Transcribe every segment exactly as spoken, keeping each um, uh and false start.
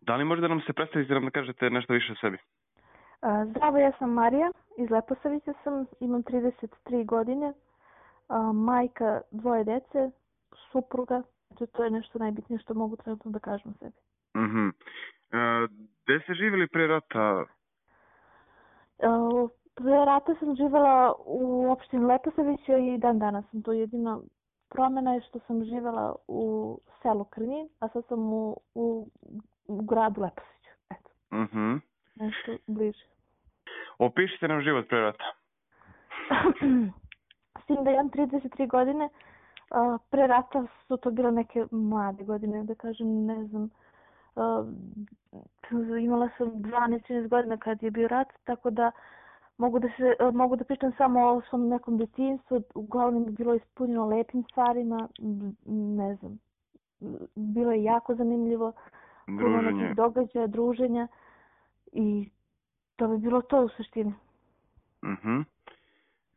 Da li možda nam se predstavite da nam kažete nešto više o sebi? Zdravo, ja sam Marija, iz Leposavića sam, imam trideset tri godine, majka dvoje dece, supruga, to je nešto najbitnije što mogu trenutno da kažem o sebi. Mhm. Gde ste živjeli pre rata? Pre rata sam živjela u opštini Leposavića i dan danas sam to. Jedina promjena je što sam živjela u selu Krnjin, a sad sam u, u, u gradu Leposaviću. Eto. Mhm. Nešto bliže. Opišite nam život pre rata. S tim da imam trideset tri godine, pre rata su to bile neke mlade godine, da kažem, ne znam, imala sam dvanaest trinaest godina kad je bio rat, tako da mogu da, se, mogu da pričam samo o svom nekom djetinjstvu, uglavnom je bilo ispunjeno lepim stvarima, ne znam, bilo je jako zanimljivo, puno nekih događaja, druženja i to bi bilo to u suštini. Mhm.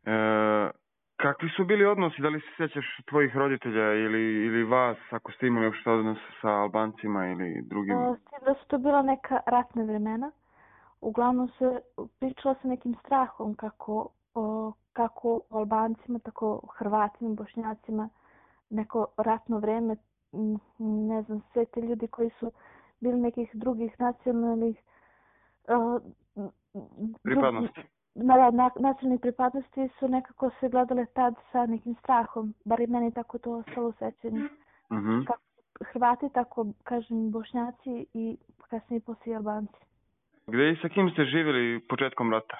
E, kakvi su bili odnosi? Da li se sjećaš tvojih roditelja ili, ili vas, ako ste imali uopšte odnos sa Albancima ili drugim? S tim da su to bila neka ratna vremena. Uglavnom se pričalo sa nekim strahom kako, o, kako o Albancima, tako o Hrvatima, Bošnjacima, neko ratno vreme, ne znam, sve te ljudi koji su bili nekih drugih nacionalnih uh, pripadnosti. Na, na, nacionalnih pripadnosti su nekako se gledale tad sa nekim strahom, bar i meni tako to ostalo u sećanju. Mm-hmm. Kako Hrvati, tako kažem Bošnjaci i kasnije poslije Albanci. Gde i sa kim ste živjeli početkom rata?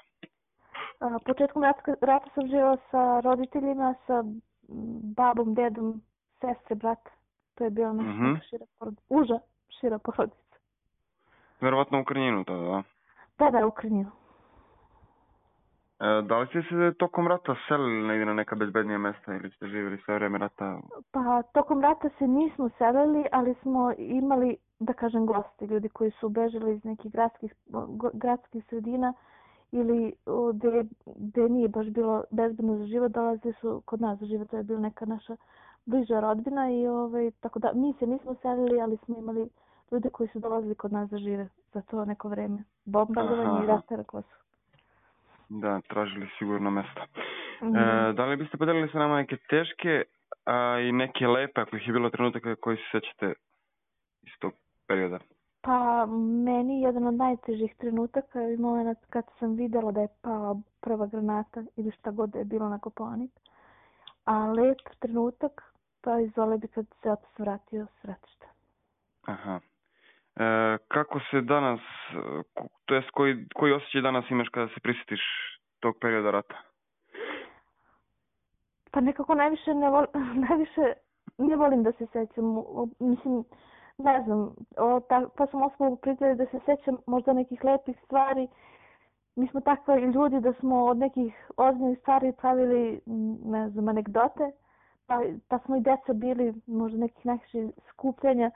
A, početkom rata, rata sam živjela sa roditeljima, sa babom, dedom, sestre, brata. To je bila naša mm-hmm. neka šira porodica. Uža šira porodica. Verovatno u Krnjinu to, da? Da, da, u Krnjinu. E, da li ste se tokom rata selili negdje na neka bezbednija mesta ili ste živjeli sve vreme rata? Pa, tokom rata se nismo selili, ali smo imali, da kažem, gosti, ljudi koji su bežali iz nekih gradskih, gradskih sredina ili gde, gde nije baš bilo bezbedno za život, dolaze su kod nas za život, to je bila neka naša bliža rodbina i ovaj, tako da mi se nismo selili, ali smo imali ljude koji su dolazili kod nas za žive za to neko vreme. Bombardovanje i rata na Kosovu. Da, tražili sigurno mesta. Mm. E, da li biste podelili sa nama neke teške a i neke lepe, ako ih je bilo trenutaka koji se sećate iz tog perioda? Pa, meni jedan od najtežih trenutaka je moment kad sam videla da je pala prva granata ili šta god da je bilo na Kopaonik. A lep trenutak, pa izvole bi kad se otac vratio s ratišta. Aha. E, kako se danas, to jest koji, koji osjećaj danas imaš kada se prisjetiš tog perioda rata? Pa nekako najviše ne, vol, najviše ne volim da se sećam. Mislim, ne znam, o, ta, pa sam osnovu pritali da se sećam možda nekih lepih stvari. Mi smo takvi ljudi da smo od nekih ozbiljnih stvari pravili, ne znam, anegdote. Pa, pa smo i deca bili možda nekih nekih skupljanja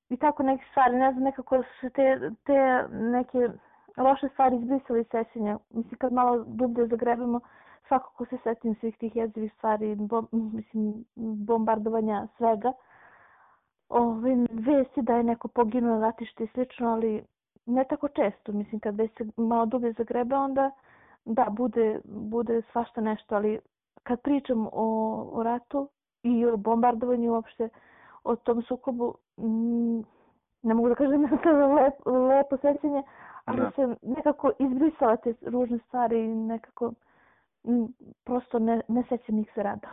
i tako neke stvari. Ne znam, nekako su te, te neke loše stvari izbrisali sećanja. Mislim, kad malo dublje zagrebimo, svakako se setim svih tih jezivih stvari, bom, mislim, bombardovanja, svega. Ove, vesti da je neko poginuo na ratištu i slično, ali ne tako često. Mislim, kad već se malo dublje zagrebe, onda da, bude, bude svašta nešto, ali kad pričam o, o ratu i o bombardovanju uopšte, o tom sukobu, m, ne mogu da kažem da je lep, lepo sećanje, ali da. Se nekako izbrisala te ružne stvari i nekako m, prosto ne, ne sećam ih se rada.